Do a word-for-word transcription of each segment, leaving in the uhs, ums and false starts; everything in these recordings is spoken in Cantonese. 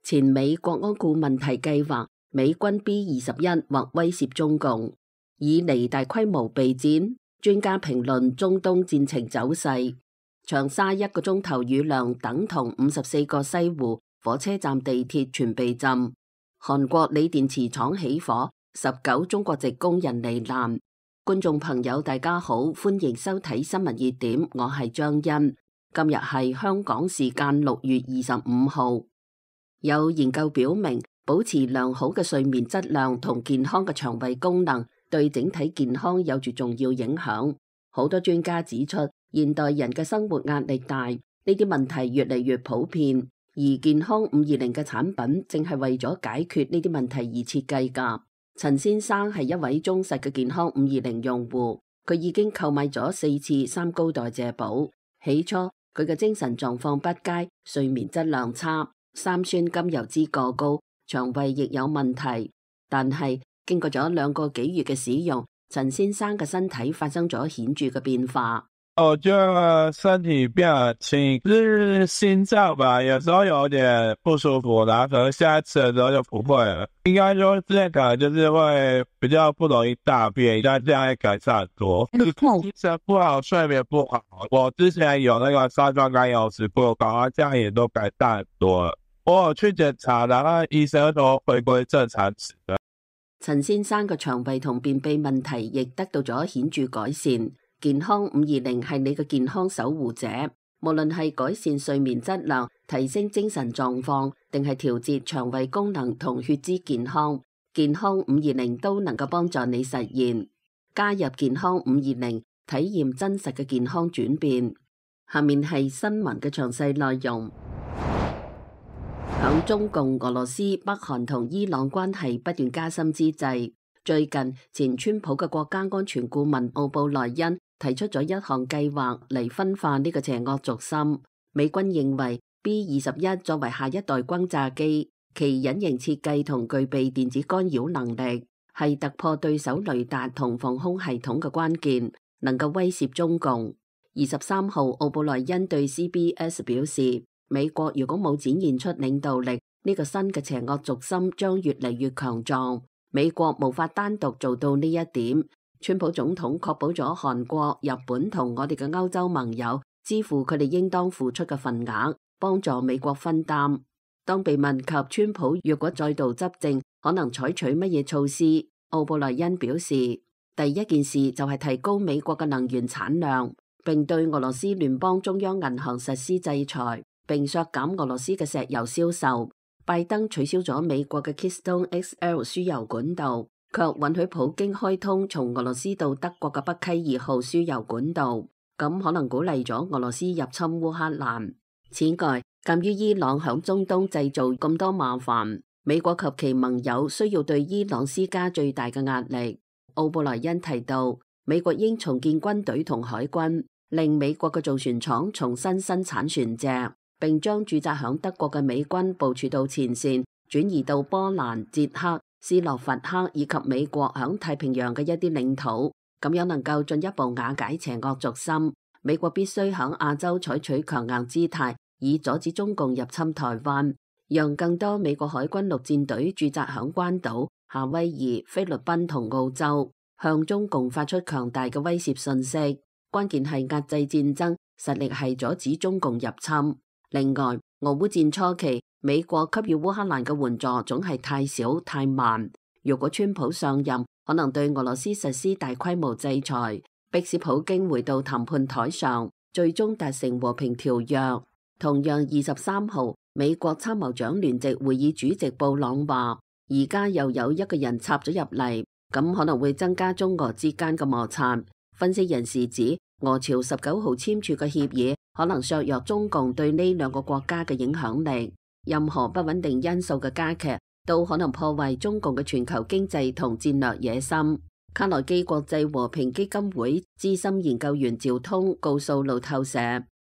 前美國安顧問提計劃美軍 B 二十一或威懾中共，以嚟大規模備戰。專家評論中東戰情走勢，長沙一個鐘頭雨量等同五十四個西湖，火車站地鐵全被浸。韓國鋰電池廠起火，十九中國籍工人罹難。觀眾朋友大家好，歡迎收睇新聞熱點，我係張欣。今日係香港時間六月二十五號。有研究表明，保持良好嘅睡眠質量同健康嘅腸胃功能對整體健康有住重要影響。好多專家指出，現代人嘅生活壓力大，呢啲問題越嚟越普遍，而健康五二零嘅產品正係為咗解決呢啲問題而設計㗎。陳先生係一位忠實嘅健康五二零用戶，佢已經購買咗四次三高代謝寶。起初佢嘅精神狀況不佳，睡眠質量差，三酸甘油酯過高，腸胃亦有問題。但係經過咗兩個幾月嘅使用，陳先生嘅身體發生咗顯著嘅變化。我覺得身體變輕，就是心臟吧，有時候有點不舒服，然後可能下一次的時候就不會了。應該說之前可能就是會比較不容易大便，但係這樣會改善很多。精神不好，睡眠不好，我之前有那個三酸甘油酯過高，這樣也都改善很多了。我有去檢查，然後醫生都回歸正常值。陳先生嘅腸胃同便秘問題亦得到咗顯著改善。健康五二零係你嘅健康守護者，無論係改善睡眠質量、提升精神狀況，定係調節腸胃功能同血脂健康，健康五二零都能夠幫助你實現。加入健康五二零，體驗真實嘅健康轉變。下面係新聞嘅詳細內容。響中共、俄羅斯、北韓同伊朗關係不斷加深之際，最近前川普嘅國家安全顧問奧布萊恩提出咗一項計劃嚟分化呢個邪惡軸心。美軍認為 B 二十一作為下一代轟炸機，其隱形設計同具備電子干擾能力，係突破對手雷達同防空系統嘅關鍵，能夠威懾中共。二十三號，奧布萊恩對 C B S 表示，美國如果冇展現出領導力，呢個新嘅邪惡軸心將越嚟越強壯。美國無法單獨做到呢一點。川普總統確保咗韓國、日本同我哋嘅歐洲盟友支付佢哋應當付出嘅份額，幫助美國分擔。當被問及川普若果再度執政，可能採取乜嘢措施，奧布萊恩表示，第一件事就係提高美國嘅能源產量，並對俄羅斯聯邦中央銀行實施制裁，並削減俄羅斯嘅石油銷售。拜登取消咗美國嘅 Keystone X L 輸油管道，卻允許普京開通從俄羅斯到德國嘅北溪二號輸油管道，咁可能鼓勵咗俄羅斯入侵烏克蘭。此外，鑒於伊朗響中東製造咁多麻煩，美國及其盟友需要對伊朗施加最大嘅壓力。奧布萊恩提到，美國應重建軍隊同海軍，令美國嘅造船廠重新生產船隻，並將駐紮響德國嘅美軍部署到前線，轉移到波蘭、捷克、斯洛伐克以及美國響太平洋嘅一啲領土，咁樣能夠進一步瓦解邪惡軸心。美國必須響亞洲採取強硬姿態，以阻止中共入侵台灣，讓更多美國海軍陸戰隊駐紮響關島、夏威夷、菲律賓同澳洲，向中共發出強大嘅威懾信息。關鍵係壓制戰爭，實力係阻止中共入侵。另外，俄烏戰初期，美國給予烏克蘭嘅援助總係太少太慢。如果川普上任，可能對俄羅斯實施大規模制裁，迫使普京回到談判台上，最終達成和平條約。同樣二十三號，美國參謀長聯席會議主席布朗話，而家又有一個人插咗入嚟，咁可能會增加中俄之間嘅摩擦。分析人士指，俄朝十九號簽署嘅協議可能削弱中共對呢兩個國家嘅影響力。任何不穩定因素嘅加劇，都可能破壞中共嘅全球經濟同戰略野心。卡內基國際和平基金會資深研究員趙通告訴路透社，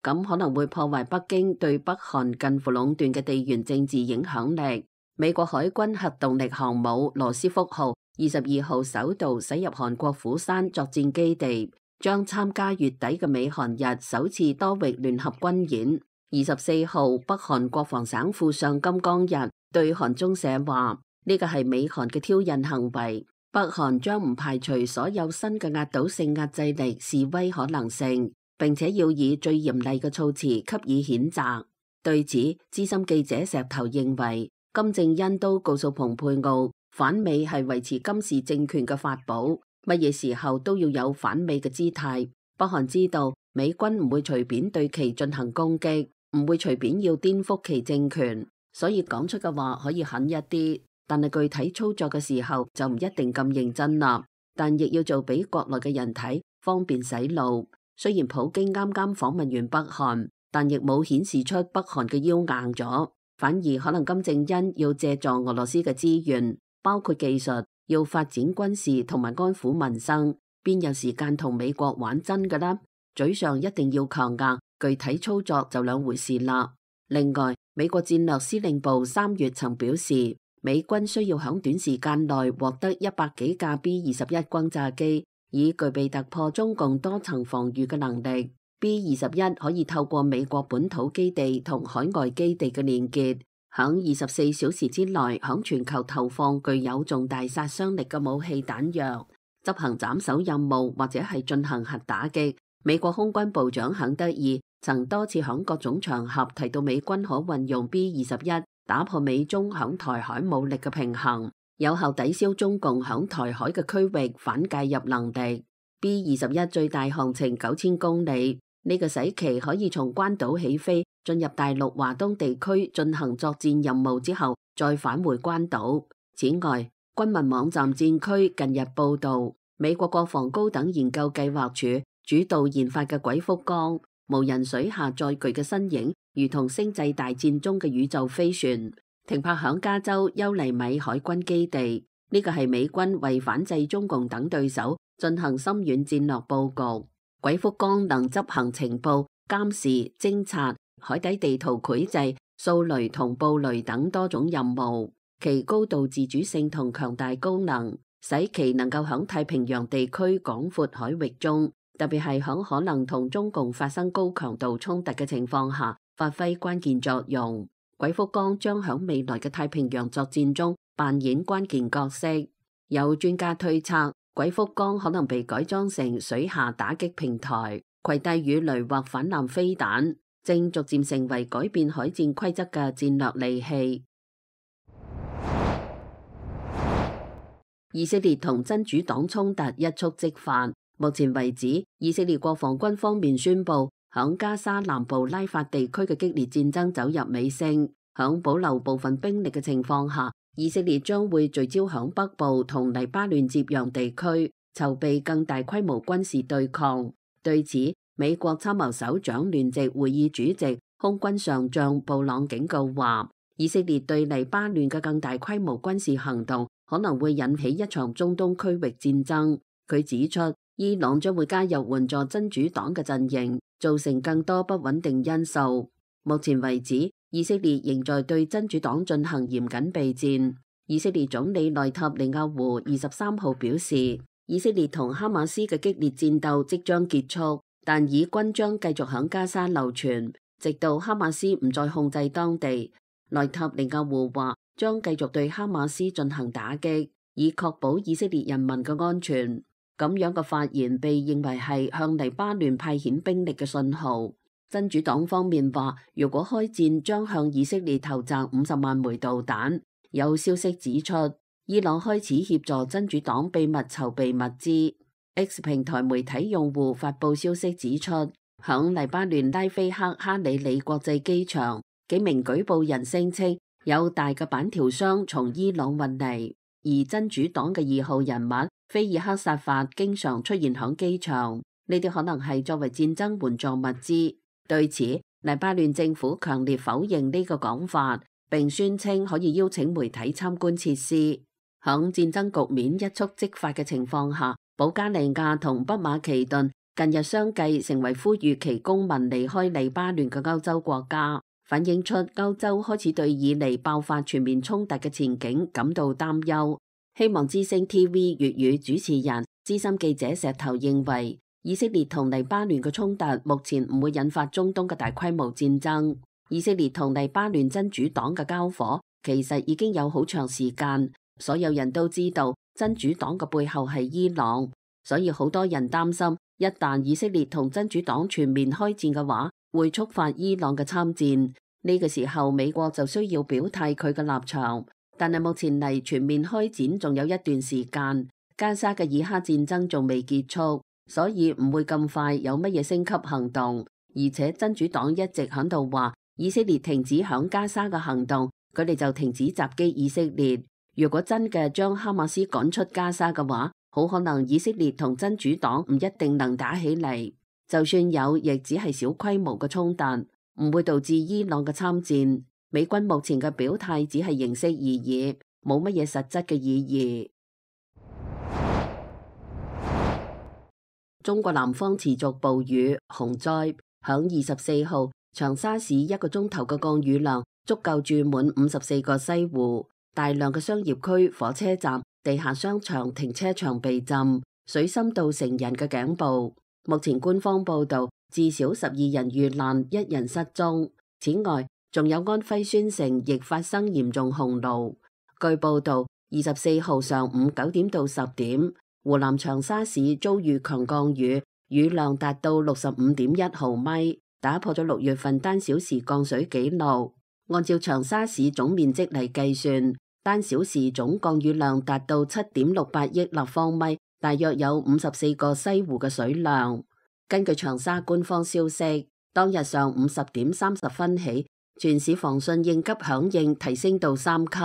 咁可能會破壞北京對北韓近乎壟斷嘅地緣政治影響力。美國海軍核動力航母羅斯福號二十二號首度駛入韓國釜山作戰基地，將參加月底嘅美韓日首次多域聯合軍演。二十四號，北韓國防省副相金剛日對韓中社話，呢個係美韓嘅挑釁行為，北韓將唔排除所有新嘅壓倒性壓制力示威可能性，並且要以最嚴厲嘅措辭給予譴責。對此，資深記者石頭認為，金正恩都告訴蓬佩奧，反美係維持金氏政權嘅法寶，乜嘢時候都要有反美嘅姿態。北韓知道美軍唔會隨便對其進行攻擊，唔會隨便要顛覆其政權，所以講出嘅話可以狠一啲，但係具體操作嘅時候就唔一定咁認真啦。但亦要做俾國內嘅人睇，方便洗腦。雖然普京啱啱訪問完北韓，但亦冇顯示出北韓嘅腰硬咗，反而可能金正恩要借助俄羅斯嘅資源，包括技術，要發展軍事同埋安撫民生，邊有時間同美國玩真㗎啦？嘴上一定要強硬，具體操作就兩回事啦。另外，美國戰略司令部三月曾表示，美軍需要響短時間內獲得一百幾架 B 二十一轟炸機，以具備突破中共多層防禦嘅能力。B 二十一可以透過美國本土基地同海外基地嘅連結，響二十四小時之內響全球投放具有重大殺傷力嘅武器彈藥，執行斬首任務或者係進行核打擊。美國空軍部長肯德爾曾多次響各種場合提到美軍可運用 B 二十一打破美中響台海武力嘅平衡，有效抵消中共響台海嘅區域反介入能力。B 二十一最大航程九千公里。呢個使其可以從關島起飛，進入大陸華東地區進行作戰任務之後，再返回關島。此外，軍民網站戰區近日報道，美國國防高等研究計劃署主導研發嘅鬼福綱無人水下載具嘅身影，如同星際大戰中嘅宇宙飛船，停泊響加州優尼米海軍基地。呢個係美軍為反制中共等對手進行深遠戰略佈局。鬼福綱能執行情報、監視、偵察、海底地圖繪製、掃雷同布雷等多種任務，其高度自主性同強大功能，使其能夠響太平洋地區廣闊海域中，特別係響可能同中共發生高強度衝突嘅情況下，發揮關鍵作用。鬼福綱將響未來嘅太平洋作戰中扮演關鍵角色。有專家推測，鬼福綱可能被改裝成水下打擊平台，攜帶魚雷或反艦飛彈，正逐漸成為改變海戰規則嘅戰略利器。以色列同真主黨衝突一觸即發，目前為止，以色列國防軍方面宣布，響加沙南部拉法地區嘅激烈戰爭走入尾聲，響保留部分兵力嘅情況下，以色列將會聚焦響北部同黎巴嫩接壤地區，籌備更大規模軍事對抗。對此，美國參謀首長聯席會議主席空軍上將布朗警告話，以色列對黎巴嫩嘅更大規模軍事行動可能會引起一場中東區域戰爭。佢指出，伊朗將會加入援助真主黨嘅陣營，造成更多不穩定因素。目前為止，以色列仍在對真主黨進行嚴謹備戰。以色列總理內塔尼亞胡二十三號表示，以色列同哈馬斯嘅激烈戰鬥即將結束，但以軍將繼續響加沙流傳，直到哈馬斯唔再控制當地。內塔尼亞胡話將繼續對哈馬斯進行打擊，以確保以色列人民嘅安全。咁樣嘅發言被認為係向黎巴嫩派遣兵力嘅信號。真主黨方面話，如果開戰，將向以色列投擲五十萬枚導彈。有消息指出，伊朗開始協助真主黨秘密籌備物資。X 平台媒體用戶發佈消息指出，響黎巴嫩拉菲克哈里里國際機場，幾名舉報人聲稱有大嘅板條箱從伊朗運嚟，而真主黨嘅二號人物菲爾克薩法經常出現響機場，呢啲可能係作為戰爭援助物資。對此，黎巴嫩政府強烈否認呢個講法，並宣稱可以邀請媒體參觀設施。響戰爭局面一觸即發嘅情況下，保加利亞同北馬其頓近日相繼成為呼籲其公民離開黎巴嫩嘅歐洲國家，反映出歐洲開始對以嚟爆發全面衝突嘅前景感到擔憂。希望之聲 T V 粵語主持人資深記者石頭認為，以色列同黎巴嫩嘅衝突目前唔會引發中東嘅大規模戰爭。以色列同黎巴嫩真主黨嘅交火其實已經有好長時間，所有人都知道真主黨嘅背後係伊朗，所以好多人擔心，一旦以色列同真主黨全面開戰嘅話，會觸發伊朗嘅參戰。呢個時候，美國就需要表態佢嘅立場。但係目前嚟全面開展仲有一段時間，加沙嘅以哈戰爭仲未結束，所以唔會咁快有乜嘢升級行動。而且真主黨一直喺度話，以色列停止響加沙嘅行動，佢哋就停止襲擊以色列。如果真嘅將哈馬斯趕出加沙嘅話，好可能以色列同真主黨唔一定能打起嚟，就算有，亦只係小規模嘅衝突，唔會導致伊朗嘅參戰。美軍目前嘅表態只係形式而已，冇乜嘢實質嘅意義。中國南方持續暴雨洪災，響二十四號長沙市一個鐘頭嘅降雨量足夠注滿五十四個西湖，大量嘅商業區、火車站、地下商場、停車場被浸，水深到成人嘅頸部。目前官方報道至少十二人遇難，一人失蹤。此外，仲有安徽宣城亦發生嚴重洪澇。據報道，二十四號上午九點到十點，湖南長沙市遭遇強降雨，雨量達到六十五點一毫米，打破咗六月份單小時降水紀錄。按照長沙市總面積嚟計算，單小時總降雨量達到七點六八億立方米，大約有五十四個西湖嘅水量。根據長沙官方消息，當日上午十點三十分起，全市防汛應急響應提升到三級。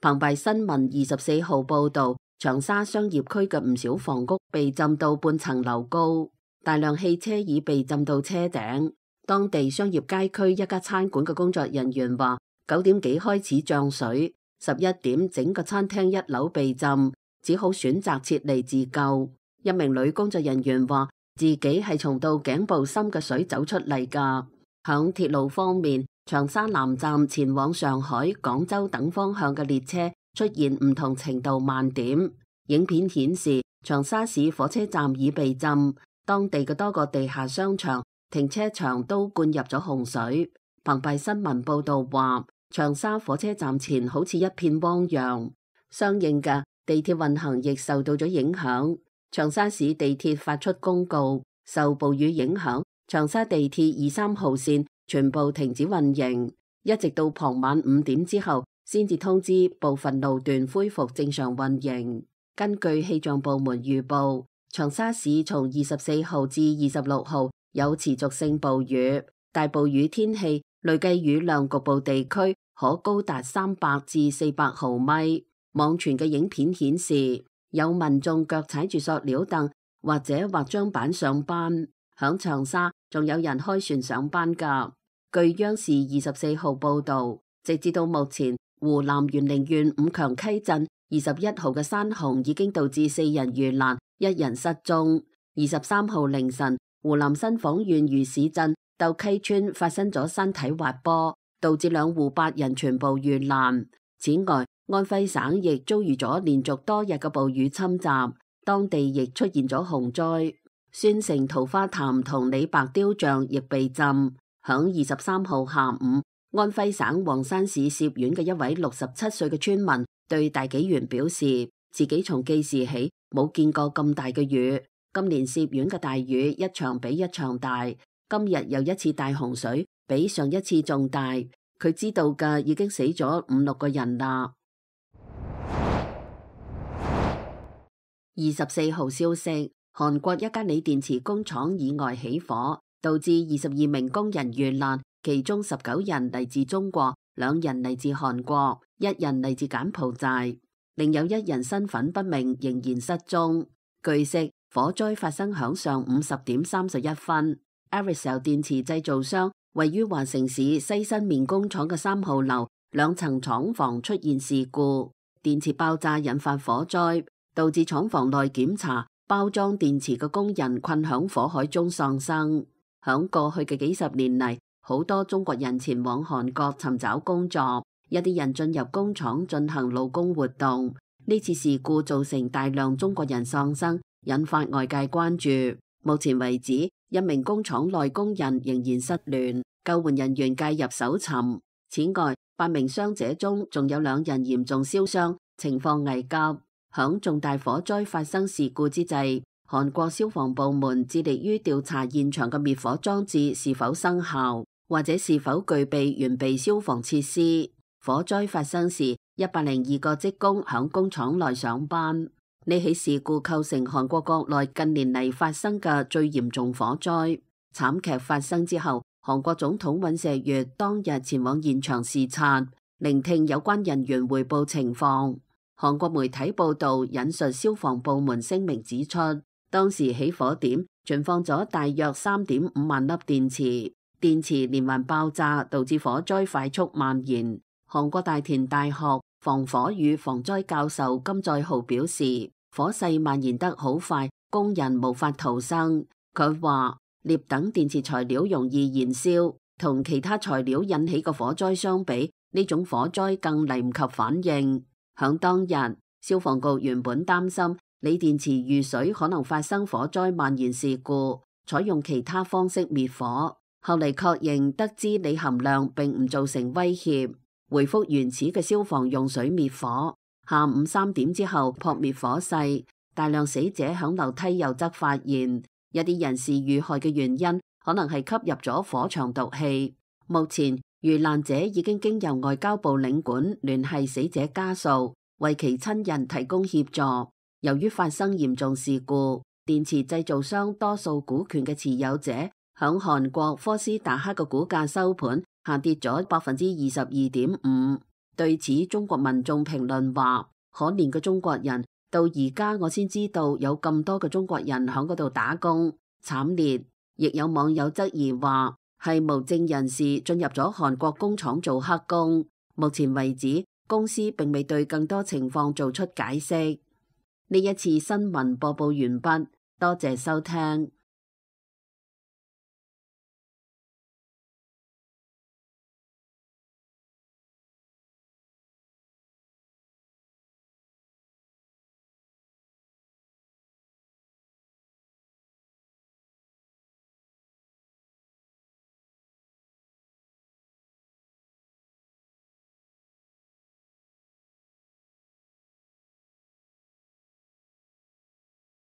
澎湃新聞二十四號報道，長沙商業區嘅唔少房屋被浸到半層樓高，大量汽車已被浸到車頂。當地商業街區一家餐館嘅工作人員話，九點幾開始漲水，十一點整個餐廳一樓被浸，只好選擇撤離自救。一名女工作人員話，自己係從到頸部深嘅水走出嚟㗎。響鐵路方面，長沙南站前往上海、廣州等方向嘅列車出現唔同程度慢點。影片顯示，長沙市火車站已被浸，當地嘅多個地下商場、停車場都灌入咗洪水。澎湃新聞報道話，長沙火車站前好似一片汪洋，相應嘅地鐵運行亦受到咗影響。長沙市地鐵發出公告，受暴雨影響，長沙地鐵二三號線全部停止運營，一直到傍晚五點之後先至通知部分路段恢復正常運營。根據氣象部門預報，長沙市從二十四號至二十六號有持續性暴雨，大暴雨天氣累計雨量局部地區可高達三百至四百毫米。網傳嘅影片顯示，有民眾腳踩住塑料凳或者或張板上班。響長沙仲有人開船上班噶。據央視二十四號報道，直至到目前，湖南沅陵縣五強溪鎮二十一號嘅山洪已經導致四人遇難，一人失蹤。二十三號凌晨，湖南新晃縣魚市鎮鬥溪村發生咗山體滑坡，導致兩戶八人全部遇難。此外，安徽省亦遭遇咗連續多日嘅暴雨侵襲，當地亦出現咗洪災。宣城桃花潭同李白雕像亦被浸。響二十三號下午，安徽省黃山市涉縣嘅一位六十七歲嘅村民對大紀元表示，自己從記事起冇見過咁大嘅雨，今年涉縣嘅大雨一場比一場大，今日又一次大洪水，比上一次仲大。佢知道嘅已經死咗五六個人啦。二十四號消息，韓國一家鋰電池工廠意外起火，導致二十二名工人遇難，其中十九人嚟自中國，兩人嚟自韓國，一人嚟自柬埔寨，另有一人身份不明，仍然失蹤。據悉，火災發生響上午十點三十一分。Arisel 電池製造商位於華城市西新面工廠嘅三號樓兩層廠房出現事故，電池爆炸引發火災，導致廠房內檢查包裝電池嘅工人困響火海中喪生。響過去嘅幾十年嚟，好多中國人前往韓國尋找工作，一啲人進入工廠進行勞工活動。呢次事故造成大量中國人喪生，引發外界關注。目前為止，一名工廠內工人仍然失聯，救援人員介入搜尋。此外，八名傷者中仲有兩人嚴重燒傷，情況危急。響重大火災發生事故之際，韓國消防部門致力於調查現場嘅滅火裝置是否生效，或者是否具備完備消防設施。火災發生時，一百零二個職工響工廠內上班。呢起事故構成韓國國內近年嚟發生嘅最嚴重火災。慘劇發生之後，韓國總統尹錫悅當日前往現場視察，聆聽有關人員匯報情況。韓國媒體報道引述消防部門聲明指出，當時起火點存放咗大約三點五萬粒電池，電池連環爆炸導致火災快速蔓延。韓國大田大學防火與防災教授金在浩表示，火勢蔓延得好快，工人無法逃生。佢話，鎳等電池材料容易燃燒，同其他材料引起嘅火災相比，呢種火災更嚟唔及反應。響當日，消防局原本擔心鋰電池遇水可能發生火災蔓延事故，採用其他方式滅火。後嚟確認得知鋰含量並唔造成威脅，回復原始嘅消防用水滅火。下午三點之後撲滅火勢，大量死者響樓梯右側發現。一啲人士遇害嘅原因可能係吸入咗火場毒氣。目前遇難者已經經由外交部領館聯繫死者家屬，為其親人提供協助。由於發生嚴重事故，電池製造商多數股權嘅持有者響韓國科斯達克嘅股價收盤下跌咗百分之二十二點五。對此，中國民眾評論話：可憐嘅中國人，到而家我先知道有咁多嘅中國人響嗰度打工，慘烈。亦有網友質疑話，係無證人士進入咗韓國工廠做黑工。目前為止，公司並未對更多情況做出解釋。呢一次新聞播報完畢，多謝收聽。